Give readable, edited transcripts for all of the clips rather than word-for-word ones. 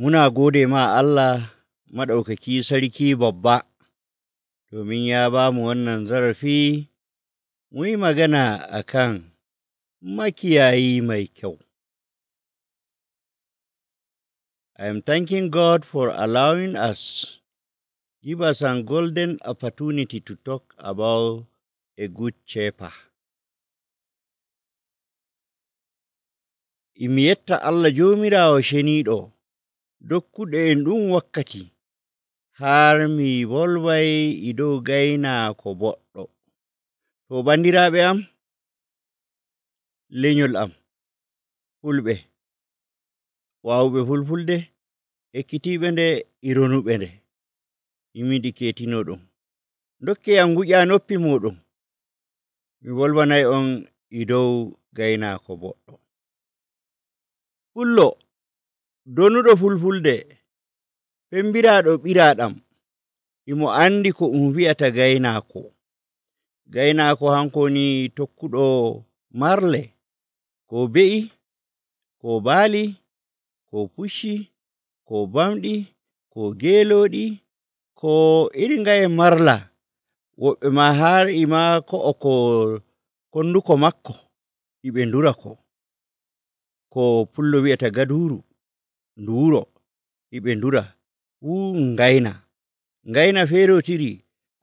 Muna gode ma Allah maɗaukaki sarki babba, domin ya ba mu wannan zarafi mu yi magana a kan makiyayi mai kyau. I am thanking God for allowing us, give us a golden opportunity to talk about a good shepherd. Imi yetta Allah jomirawo ceniiɗo dokkuɗo en ɗum wakkati har mi volway e dow gaynaako boɗɗo. To bandiraaɓe am, lenyol am, fulɓe, waawuɓe fulfulde, ekkitiiɓe nde e ronuɓe nde, imi ɗi keetino ɗum. Ndokke yam nguƴa noppi muɗum, mi volwanay on e dow gaynaako boɗɗo. Pullo donuɗo fulfulde, pembiraaɗo ɓiraaɗam, imo andi ko wi'ata gaynaako. Gaynaako hanko woni tokkuɗo marle, ko be'i, ko baali, ko pucci, ko bamɗi, ko geelooɗi, ko iri ngaye marla. Woɓɓe ma har ima ko'o ko konduko makko iɓe ndura ko pullo wi'ata gaduru, nduuro, iɓe ndura, ngayna feerotiri,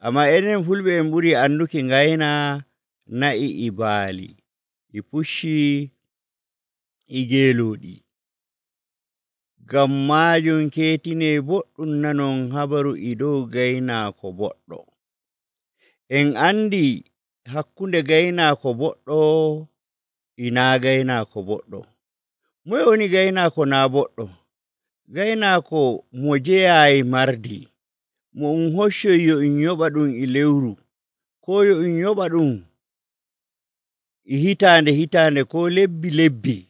amma enen fulɓe en ɓuri anduki ngayna na'i e baali, e pucci, e geelooɗi. Ngam maajum keetine boɗɗum nanon habaru e dow gaynaako boɗɗo. En andi hakkunde gaynaako boɗɗo ina gaynaako boɗɗo. Moye woni gaynaako na boɗɗo? Gaynaako mo jeyayi mardi, mo hoccoy yo yoɓa ɗum e lewru, ko yo yoɓa ɗum e hitande ko lebbi.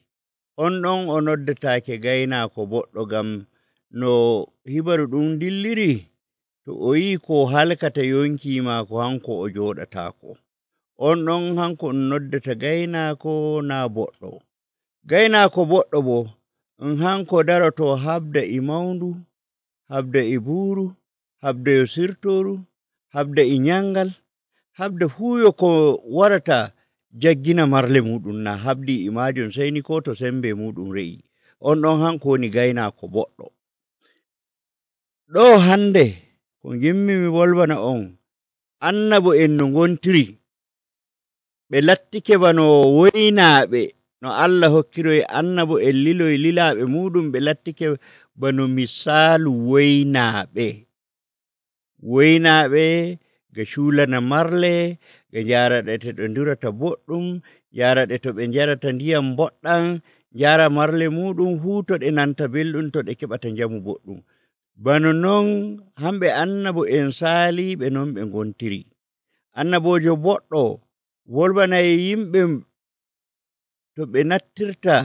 On ɗon o noddataake gaynaako boɗɗo, ngam no hibaru ɗum dilliri, to o yi ko halkata yonki maako hanko o joɗataako. On ɗon hanko noddata gaynaako na boɗɗo. Gaynaako boɗɗo bo hanko daroto habda e mawndu, habda e buuru, habda e sirtoru, habda e nyangal, habda fuuyo ko warata jaggina marle muɗum na habdi e majum, sai ni ko to sembe muɗum re'i. On ɗon hanko woni gaynaako boɗɗo. Ɗo hande ko gimmi mi volwana on, annabo en no ngontiri, ɓe lattike bano woynaaɓe, no Allah hokkiroy annabo en liloy lilaaɓe muɗum, ɓe lattike bano misaalu woynaaɓe. Woynaaɓe ga cuulana marle, ɓe njaraɗe to ɓe ndurata boɗɗum, njaraɗe to ɓe njarata ndiyam boɗɗam, njara marle muɗum fuu to ɗe nanta belɗum, to ɗe keɓata njamu boɗɗum. Bano non hamɓe annabo en saaliɓe non ɓe ngontiri. Annabojo boɗɗo wolwanay yimɓe to ɓe nattirta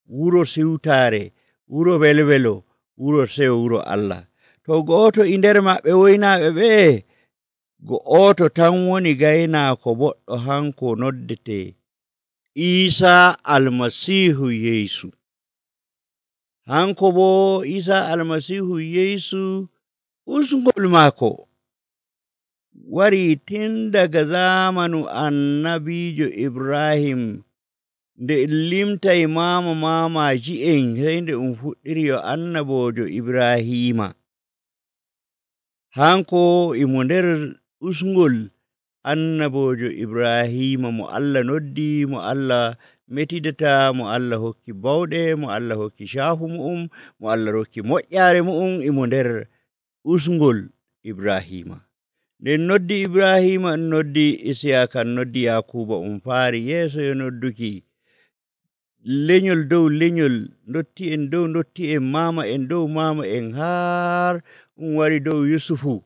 wuro siwtaare, wuro welwelo, wuro seyo, wuro Allah. To go'oto e nder maɓɓe woynaaɓe ɓe, go'oto tan woni gaynaako boɗɗo, hanko noddete Isa almasihu Yesu. Hanko bo Isa almasihu Yesu usgol maako wari tin daga zamanu annabijo Ibrahim, nde limtay mamaji en, sai nde fuɗɗiri yo annabojo Ibrahima. Hanko imo nder usgol annabojo Ibrahima mo Allah noddi, mo Allah metidata, mo Allah hokki bawɗe, mo Allah hokki shahu mu'um, mo Allah hokki moƴƴare mu'um, imo nder usgol Ibrahima. Nden noddi Ibrahima, noddi Isiyaka, noddi Yakuba, faari yeeso yo nodduki lenyol dow lenyol, dotti en mama en dow mama en, har wari dow Yusufu.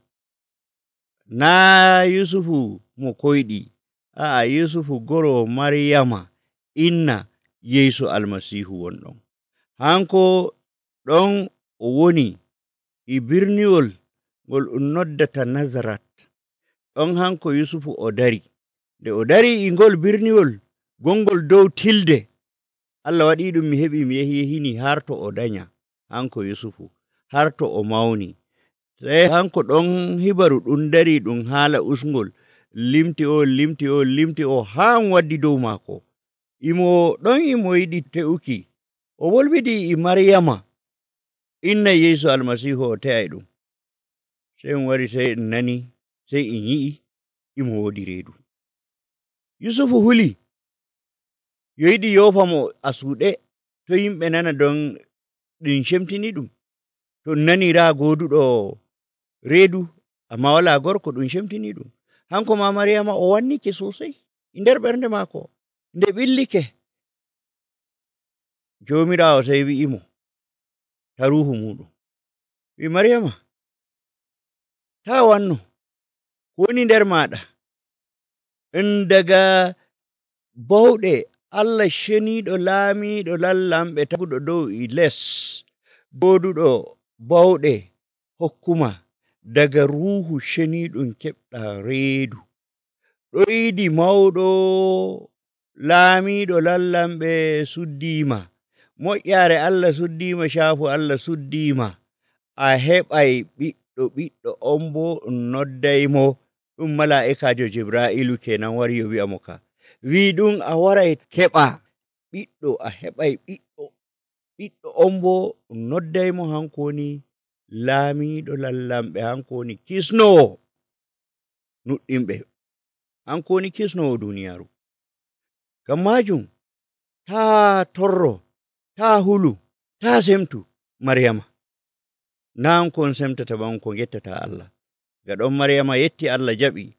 Na Yusufu mo koyɗi, Yusufu goro Maryama, inna Yesu almasihu wonɗon. Hanko ɗon o woni e birniwol ngol noddata Nazarat. Ɗon hanko Yusufu o dari. Nde o dari e ngol birniwol gongol dow tilde, Allah waɗi ɗum mi heɓi mi yehini har to o danya, hanko Yusufu. har to o mawni. Sey hanko ɗon hibaru ɗum dari ɗum haala usngol limti o haa waddi dow maako. Imo yiɗi te'uki, o wolwidi e Maryama inna Yeesu Almasiihu o te'ay ɗum. Sey wari sey en nani, sey en yi'i imo woodi reedu. Yusufu huli yo yiɗi yoofa mo asuuɗe to yimɓe nana don ɗum cemtini ɗum. To nani raa gooduɗo reedu amma walaa gorko ɗum cemtini ɗum. Hanko ma Maryama o wannike sosai e nder ɓernde maako nde ɓillike. Joomiraawo sey wi'imo ta ruuhu muɗum, wi Maryama taa wanno ko woni nder maaɗa ɗum daga bawɗe Allah ceniiɗo laamiiɗo lallamɓe taguɗo dow e les, gooduɗo bawɗe hokkuma daga ruuhu ceniiɗum keɓɗaa reedu. Ɗoydi mawɗo laamiiɗo lallamɓe suddiima, moƴƴaare Allah suddiima, caafu Allah suddiima. A heɓay ɓiɗɗo on boo noddaymo ɗum malaa'ikaajo Jibraa'ilu kenan wari yo wi'amo ka. Wi ɗum a waray keɓa ɓiɗɗo, a heɓay ɓiɗɗo on boo noddaymo, hanko woni laamiiɗo lallamɓe, hanko woni kisnowo nuɗɗinɓe, hanko woni kisnowo duuniyaaru. Ngam maajum taa torro, taa hulu, taa semtu Maryama. Naa kon semtata ban ko gettata Allah. Gaɗon Maryama yetti Allah jaɓi.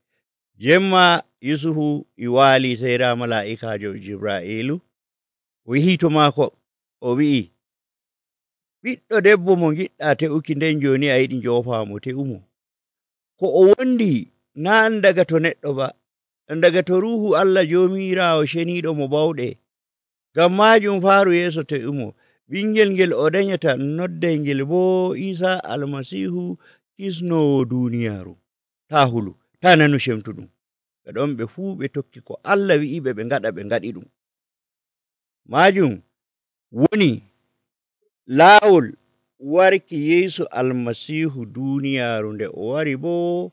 Jemma Yusufu e waali sey raa malaa'ikaajo Jibraa'ilu o yihi to maako, o wi'i, ɓiɗɗo debbo mo giɗɗaa te'uki nden jooni a yiɗi njoofaamo, te'umo. Ko o wondi naa daga to neɗɗo ba, daga to ruuhu Allah Joomiraawo ceniiɗo mo bawɗe. Ngam maajum faaru yeeso te'umo. Ɓingel ngel o danyata nodday ngel boo Iisaa Almasiihu, kisnowo duuniyaaru. Taa hulu, taa nanu cemtu ɗum. Gaɗon ɓe fuu ɓe tokki ko Allah wi'iɓe ɓe ngaɗa, ɓe ngaɗi ɗum. Maajum woni laawol warki Yeesu Almasiihu duuniyaaru. Nde o wari boo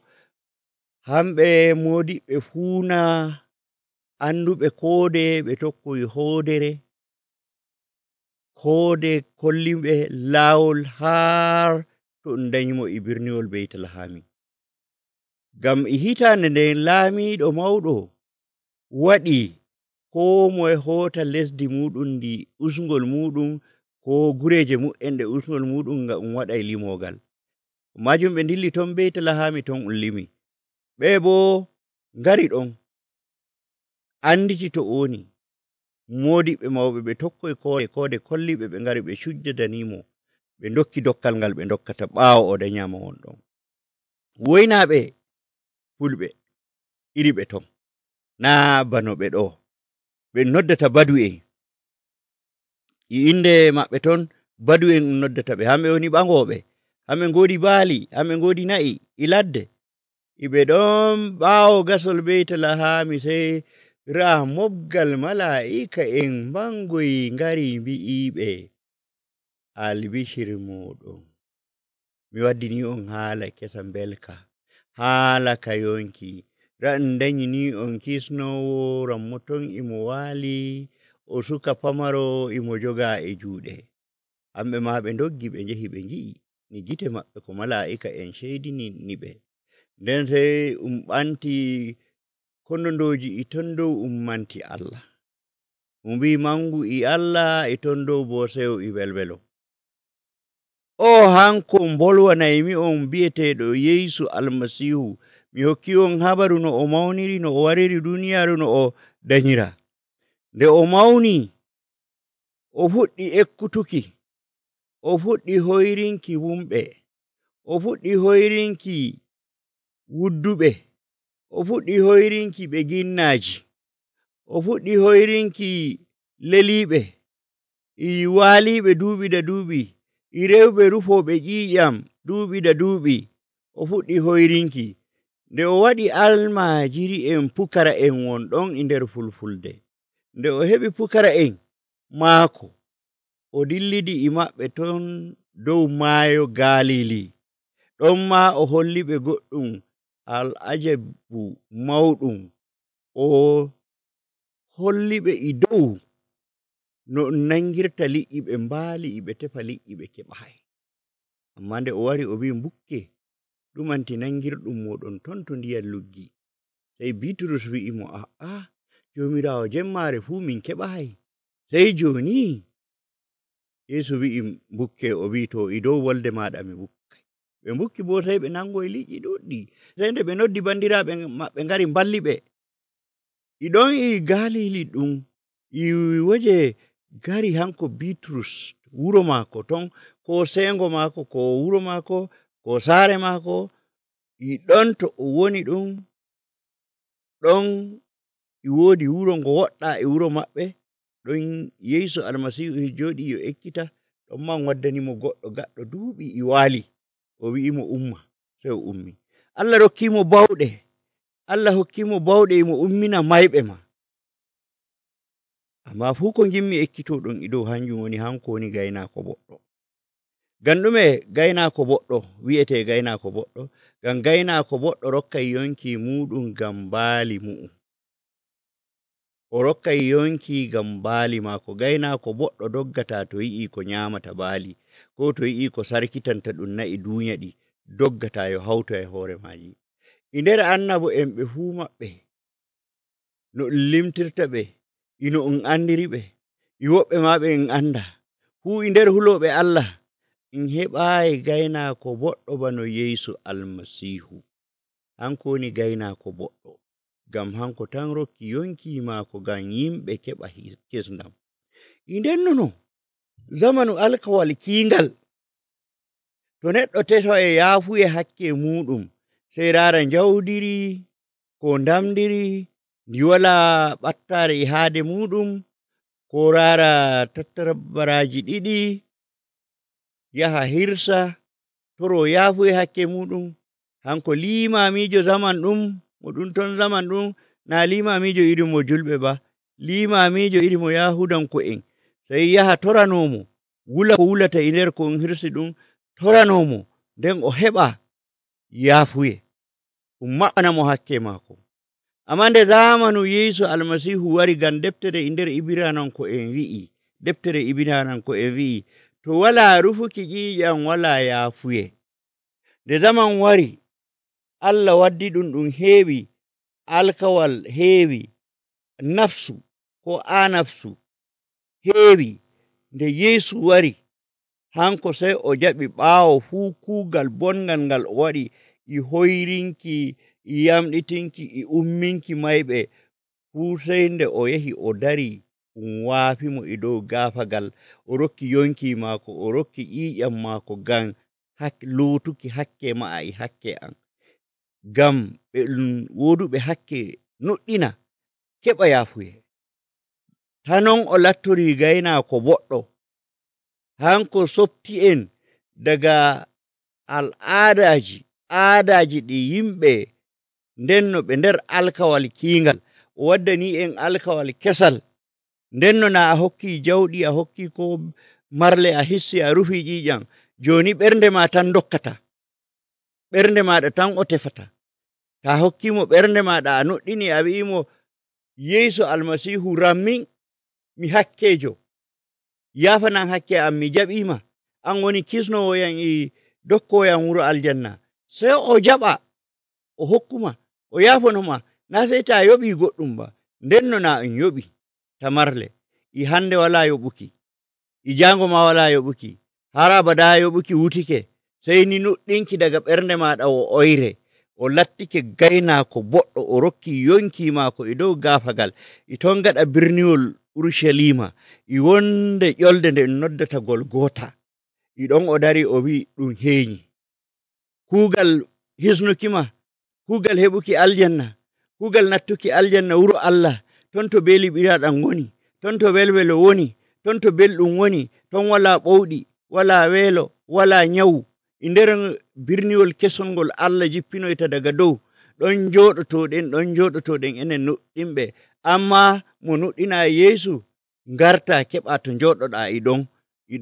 hamɓe moodiɓɓe fuuna anduɓe koode ɓe tokkoyi hoodere, koode kolliɓe laawol har to ɗum danyimo e birniwol Beytlahami. Ngam e hitaande nden laamiiɗo mawɗo waɗi koo moye hoota lesdi muɗum ndi usngol muɗum, ko gureeje mu'en ɗe usngol muɗum ngam waɗay limoogal. Maajum ɓe dilli ton Beytlahami, ton limi. Ɓe boo ngari ɗon anditi to woni. Moodiɓɓe mawɓe ɓe tokkoyi koode kolliɓe, ɓe ngari ɓe cujjadanimo, ɓe dokki dokkal ngal ɓe dokkata ɓaawo o danyama won ɗon. Woynaaɓe fulɓe iri ɓe ton, naa bano ɓe ɗo ɓe noddata badu'en. E inde maɓɓe ton badu'en ɗum noddata ɓe. Hamɓe woni ɓangooɓe, hamɓe ngoodi baali, hamɓe ngoodi na'i e ladde. Iɓe ɗon ɓaawo gasol Beytlahami sey raa mobgal malaa'ika en mangoyi ngari mbi'iɓe, albishir moɗon, mi waddini on haala kesa mbelka, haala ka yonki. Raa en danyini on kisnowo rammo ton imo waali, o suka pamaro imo jogaa e juuɗe. Hamɓe ma ɓe ndoggi ɓe njehi ɓe ngi'i ni gite maɓɓe ko malaa'ika en ceydini ɓe. Nden sey ɓanti kondondooji e ton dow manti Allah. Mbi mangu e Allah e ton dow boo sew e welwelo. O hanko mbolwanaymi on bi'eteeɗo Yeesu Almasiihu. Mi hokki on habaru no o mawniri, no o wariri duuniyaaru, no o danyira. Nde o mawni, o fuɗɗi ekkutuki, o fuɗɗi hoyrinki wumɓe, o fuɗɗi hoyrinki wudduɓe, o fuɗɗi hoyrinki ɓe ginnaaji, o fuɗɗi hoyrinki leliiɓe, e waaliiɓe duuɓi da duuɓi, e rewɓe rufooɓe ƴiiƴam duuɓi da duuɓi, o fuɗɗi hoyrinki. Nde o waɗi almaajiri en pukara en won ɗon e nder fulfulde. Nde o heɓi pukara en maako, o dillidi e maɓɓe ton dow maayo Galili. Ɗon maa o holli ɓe goɗɗum al'ajabu mawɗum, o holli ɓe e dow no nangirta liƴƴi ɓe mbaali ɓe tefa liƴƴi ɓe keɓaay. Amma nde o wari o wi mbukke, ɗumanti nangirɗum moɗon ton to ndiyam luggi. Sey Bitrus wi'i mo, Joomiraawo, jemmaare fuu min keɓaay, sey jooni? Yeesu wi'i mbukke, o wi to e dow wolde maaɗa mi bukkay. Ɓe mbukki bo sey ɓe nangoy liƴƴi ɗuɗɗi. Sey nde ɓe noddi bandiraaɓe maɓɓe ngari mballi ɓe. E ɗon e Galili ɗum e woje gari hanko Bitrus wuro maako ton, ko seengo maako, ko wuro maako, ko saare maako, e ɗon to o woni ɗum, ɗon e woodi wuro ngo woɗɗaa e wuro maɓɓe, ɗon Yeesu Almasiihu jooɗii yo ekkita, ɗon man waddanimo goɗɗo gaɗɗo duuɓi e waali, o wi'imo umma, sey o ummi. Allah rokkiimo bawɗe, Allah hokkiimo bawɗe emo ummina mayɓe ma. Amma fuu ko ngimmi ekkitooɗon e dow hanjum woni hanko woni gaynaako boɗɗo. Ngam ɗume gaynaako boɗɗo wi'etee gaynaako boɗɗo? Ngam gaynaako boɗɗo rokkay yonki muɗum ngam baali mu'um. O rokkay yonki ngam baali maako. Gaynaako boɗɗo doggataa to yi'ii ko nyaamata baali, ko to yi'ii ko sarkitanta ɗum na'i duunya ɗi, doggataa yo hawto e hoore maaji. E nder annabo en ɓe fuu maɓɓe, no ɗum limtirta ɓe, ino on andiri ɓe, e woɓɓe maa ɓe en annda, fuu e nder hulooɓe Allah, en heɓaayi gaynaako boɗɗo bano Yeesu Almasiihu. Hanko woni gaynaako boɗɗo, ngam hanko tan rokki yonki maako ngam yimɓe keɓa kesndam. E nden nono zamanu alkawal kiingal, to neɗɗo tefa e yaafuye hakke muɗum, sey raara njawdiri, ko ndamdiri, ndi walaa ɓattaare e haade muɗum, ko raara tattabaraaji ɗiɗi, yaha hirsa, toro yaafuye hakke muɗum. Hanko limaamiijo zaman ɗum, mo ɗum ton zaman ɗum, naa limaamiijo iri mo julɓe ba, limaamiijo iri mo Yahudanko'en, sey yaha toranoomo, wula ko wulata e nder ko on hirsi ɗum, toranoomo, nden o heɓa yaafuye, ɗum maɓɓana mo hakke maako. Amma nde zamanu Yeesu Almasiihu wari, ngam deftere e nder Ibrananko'en wi'i, deftere Ibrananko'en wi'i, to walaa rufuki ƴiiƴam walaa yaafuye. Nde zaman wari, Allah waddi ɗum heewi, alkawal heewi, nafsu ko anafsu heewi. Nde Yeesu wari, hanko sey o jaɓi ɓaawo fuu kuugal bongal ngal o waɗi, e hoyrinki, e yamɗitinki, e umminki mayɓe fuu, sey nde o yahi o dari, waafimo e dow gaafagal, o rokki yonki maako, o rokki ƴiiƴam maako ngam lootuki hakke ma'a e hakke an, ngam ɓe woduɓe hakke nuɗɗina keɓa yaafuye. Hanon o lattorii gaynaako boɗɗo, hanko softi en daga aadaaji ɗi yimɓe ndenno ɓe nder alkawal kiingal, o waddanii en alkawal kesal, ndenno naa a hokkii jawɗi, a hokkii ko marle, a hissi, a rufii ƴiiƴam, jooni ɓernde maa tan dokkata, ɓernde maaɗa tan o tefata. Ta hokkiimo ɓernde maaɗa, a nuɗɗini, a wi'imo Yeesu Almasiihu rammin, mi hakkeejo, yaafanan hakke am, mi jaɓiima, an woni kisnoowoyam e dokkooyam wuro aljanna, sey o jaɓa, o hokkuma, o yaafanoma, naa sey taa yoɓii goɗɗum ba. Ndenno naa on yoɓii tamarle, e hannde walaa yoɓuki, e jaango maa walaa yoɓuki, har abadaa yoɓuki wutike, sey ni nuɗɗinki daga ɓernde maaɗa o oyre, o lattike gaynaako boɗɗo, o rokki yonki maako e dow gaafagal, e ton gaɗa birniwol Urushalima, e wonde ƴolde nde noddata Golgota, e ɗon o dari o wi'i ɗum heeñi. Kuugal hisnukima, kuugal heɓuki aljanna, kuugal nattuki aljanna wuro Allah, ton to beeli ɓiraaɗam woni, ton to welwelo woni, ton to belɗum woni, ton walaa ɓowɗi, walaa weelo, walaa nyawu. E nder birniwol kesol ngol Allah jippinoyta daga dow, ɗon jooɗotoɗen enen nuɗɗinɓe. Amma mo nuɗɗinaa Yeesu, ngarta keɓa to njooɗoɗaa e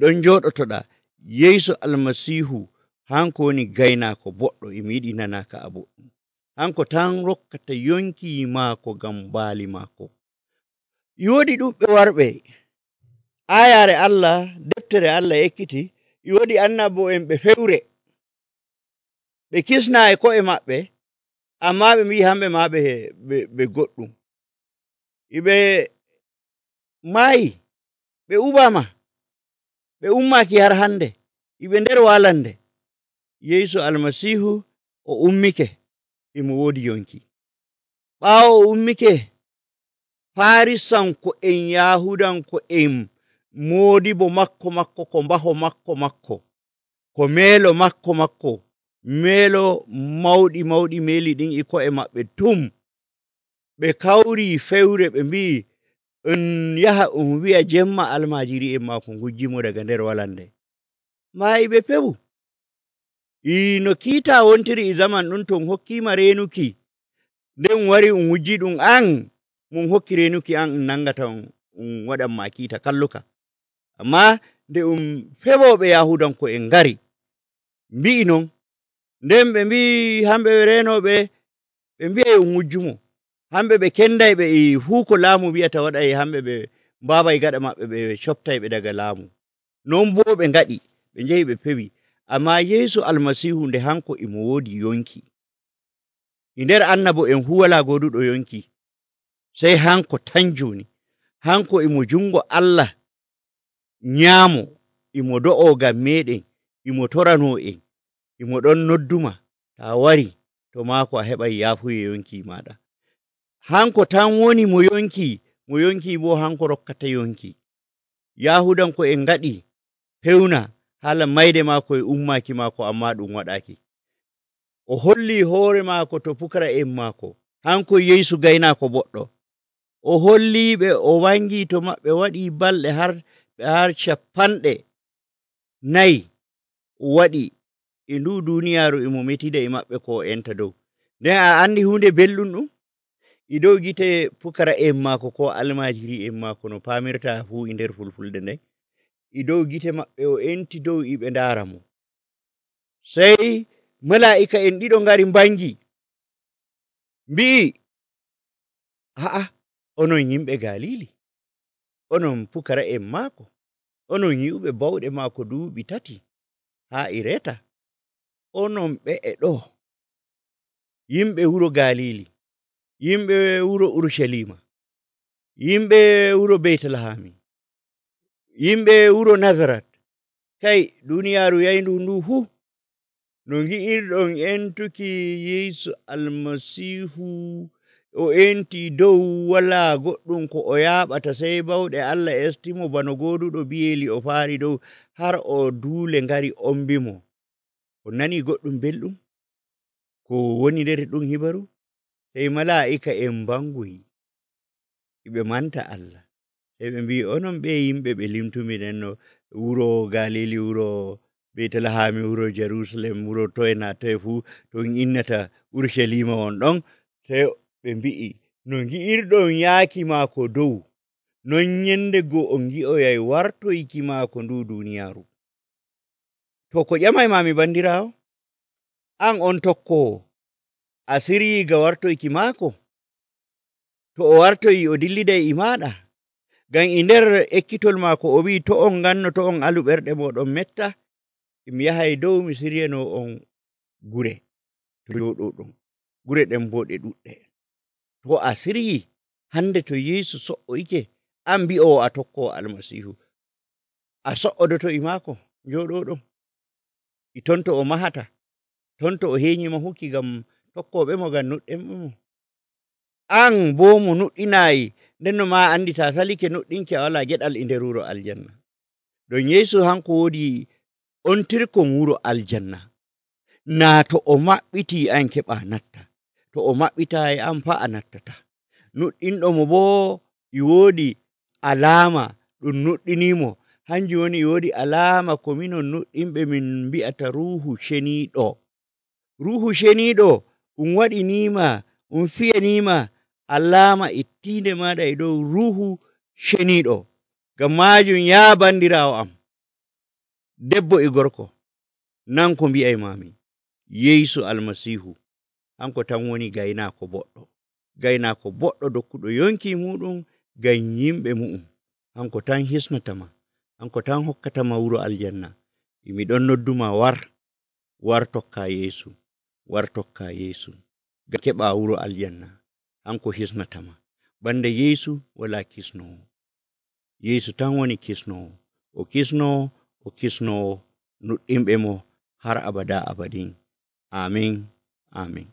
ɗon jooɗotoɗaa. Yeesu Almasiihu hanko woni gaynaako boɗɗo e mi yiɗi nanaka a boɗɗum. Hanko tan rokkata yonki maako ngam baali maako. E woodi ɗuɓɓe warɓe aayaare Allah, deftere Allah ekkiti, e woodi annabo'en ɓe fewre, ɓe kisnaa e ko'e maɓɓe, ammaa ɓe mbi'i hamɓe maa ɓe goɗɗum. Ɓe maayi, ɓe ubaama, ɓe ummaaki har hannde, ɓe nder walande. Yeesu Almasiihu o ummike, emo woodi yonki. Ɓaawo o ummike, Farisanko'en Yahudanko'en moodibo makko ko mbaho makko, ko meelo makko, meelo mawɗi meeli ɗin e ko'e maɓɓe tum, ɓe kawrii fewre ɓe mbi'i on yaha on wi'a jemma almaajiri'en maako ngujjimo daga nder walande. Maayi ɓe pewu. No kiita wontiri e zaman ɗum to hokkiima reenuki, nden wari wujji ɗum an, mon hokki reenuki an nangata on waɗanma kiita kalluka. Ammaa nde feɓoɓe Yahudanko'en ngari mbi'i non, nden ɓe mbi'i hamɓe reenoɓe, ɓe mbi'ay wujjumo. Hamɓe ɓe kendayɓe e fuu ko laamu wi'ata waɗay, hamɓe ɓe mbaaway gaɗa maɓɓe ɓe coftayɓe daga laamu. Non boo ɓe ngaɗi, ɓe njehi ɓe pewi. Ammaa Yeesu Almasiihu nde hanko emo woodi yonki. E nder annabo'en fuu walaa gooduɗo yonki, sey hanko tan jooni. Hanko emo jungo Allah nyaamo, emo do'oo ngam meeɗen, emo toranoo en, emo ɗon nodduma, taa wari to maako a heɓay yaafuye yonki maaɗa. Hanko tan woni mo yonki boo hanko rokkata yonki. Yahudanko'en ngaɗi pewna haala mayde maako e ummaaki maako, ammaa ɗum waɗaaki. O hollii hoore maako to pukara'en maako, hanko Yeesu gaynaako boɗɗo. O holliiɓe, o wangii to maɓɓe, waɗii balɗe har 50 waɗi e ndu duuniyaaru emo metida e maɓɓe ko o enta dow. Nden a anndi huunde belɗum ɗum? E dow gite pukara'en maako ko almaajiri'en maako no paamirta fuu e nder fulfulde nden, e dow gite maɓɓe o enti dow e ɓe ndaara mo. Sey malaa'ika'en ɗiɗo ngari mbangi, mbi'i, onon yimɓe Galili, onon pukara'en maako, onon yi'uɓe bawɗe maako duuɓi 3 haa e reeta, onon ɓe'e ɗo, yimɓe wuro Galili, yimɓe wuro Urushalima, yimɓe wuro Beytlahami, yimɓe wuro Nazarat, kay duuniyaaru yayndu ndu fuu, no ngi'irɗon entuki Yeesu Almasiihu, o enti dow, walaa goɗɗum ko o yaaɓata sey bawɗe Allah estimo bano gooduɗo biyeeli o faari dow, har o duule ngari ombimo. On nanii goɗɗum belɗum ko woni nder ɗum hibaru? Sey malaa'ika'en mbangoyi, ɓe manta Allah, sey ɓe mbi'i, onon ɓe yimɓe ɓe limtumi nden no wuro Galili, wuro Beytlahami, wuro Jerusalem, wuro toye naa toye fuu, to on innata Urushalima on ɗon, sey ɓe mbi'i, no ngi'irɗon yaaki maako dow, non nyende goo on ngi'oyay wartoyki maako ndu duuniyaaru. To ko ƴamaymami bandiraawo, an on tokkowo, a siryiiga wartoyki maako? To o wartoyi o dilliday e maaɗa? Ngam e nder ekkitol maako o wi'i, to on nganno, to on alu ɓerɗe mooɗon metta, mi yahay dow mi siryanoo on gure to jooɗoɗon, gure ɗen boo ɗe ɗuɗɗe. To a siryii hannde to Yeesu so''oyke, an mbi'owo a tokkowo Almasiihu, a so''odoto e maako njooɗoɗon? E ton to o mahata, ton to o heeñi mahuki ngam tokkooɓe mo, ngam nuɗɗenɓe mo. An boo mo nuɗɗinaayi, nden no maa anndi taa salike nuɗɗinki a walaa geɗal e nder wuro aljanna. Ɗon Yeesu hanko woodi ontirkon wuro aljanna. Naa to o maɓɓitii an keɓaa natta, to o maɓɓitaayi an faa a nattata. Nuɗɗinɗo mo boo e woodi alaama ɗum nuɗɗiniimo, hanjum woni e woodi alaama ko minon nuɗɗinɓe min mbi'ata Ruuhu Ceniiɗo. Ruuhu Ceniiɗo ɗum waɗiniima, ɗum fiyaniima alaama e tiinde maaɗa e dow Ruuhu Ceniiɗo. Ngam maajum yaa bandiraawo am, debbo e gorko, nan ko mbi'aymami, Yeesu Almasiihu hanko tan woni gaynaako boɗɗo dokkuɗo yonki muɗum ngam yimɓe mu'um. Hanko tan hisnatama, hanko tan hokkatama wuro aljanna. Miɗon nodduma war tokka Yeesu, ngam keɓa wuro aljanna. Hanko hisnatama. Banda Yeesu wala kisnowo. Yeesu tan woni kisnowo. O kisnowo nuɗɗinɓe mo har abada abadin. Amin.